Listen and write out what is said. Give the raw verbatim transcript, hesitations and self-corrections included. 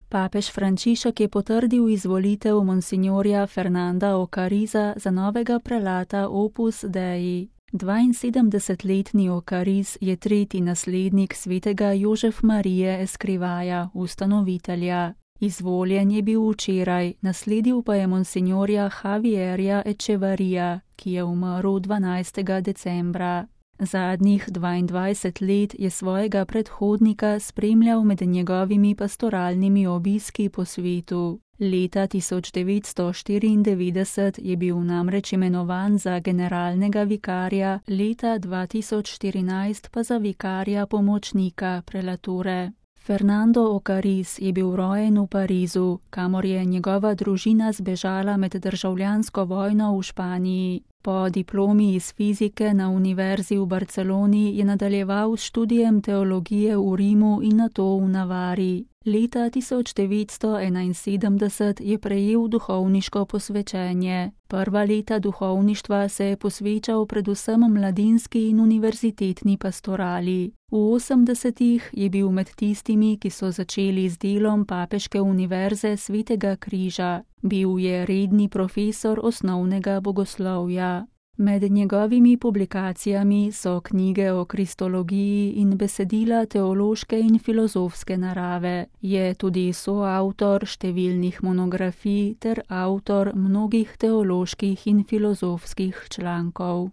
Papež Frančišek je potrdil izvolitev monsinjorja Fernanda Ocariza za novega prelata Opus Dei. dvainsedemdesetletni Ocariz je tretji naslednik svetega Jožef Marije Escrivaja, ustanovitelja. Izvoljen je bil včeraj, nasledil pa je monsinjorja Javierja Echevarrija, ki je umrl dvanajstega decembra. Zadnjih dvaindvajset let je svojega predhodnika spremljal med njegovimi pastoralnimi obiski po svetu. Leta tisoč devetsto štiriindevetdeset je bil namreč imenovan za generalnega vikarja, leta dva tisoč štirinajst pa za vikarja pomočnika prelatore. Fernando Ocariz je bil rojen v Parizu, kamor je njegova družina zbežala med državljansko vojno v Španiji. Po diplomi iz fizike na univerzi v Barceloni je nadaljeval s študijem teologije v Rimu in nato v Navari. Leta tisoč devetsto enainsedemdeset je prejel duhovniško posvečenje. Prva leta duhovništva se je posvečal predvsem mladinski in univerzitetni pastorali. V osemdesetih je bil med tistimi, ki so začeli z delom Papeške univerze Svetega križa. Bil je redni profesor osnovnega bogoslovja. Med njegovimi publikacijami so knjige o kristologiji in besedila teološke in filozofske narave. Je tudi soavtor številnih monografij ter avtor mnogih teoloških in filozofskih člankov.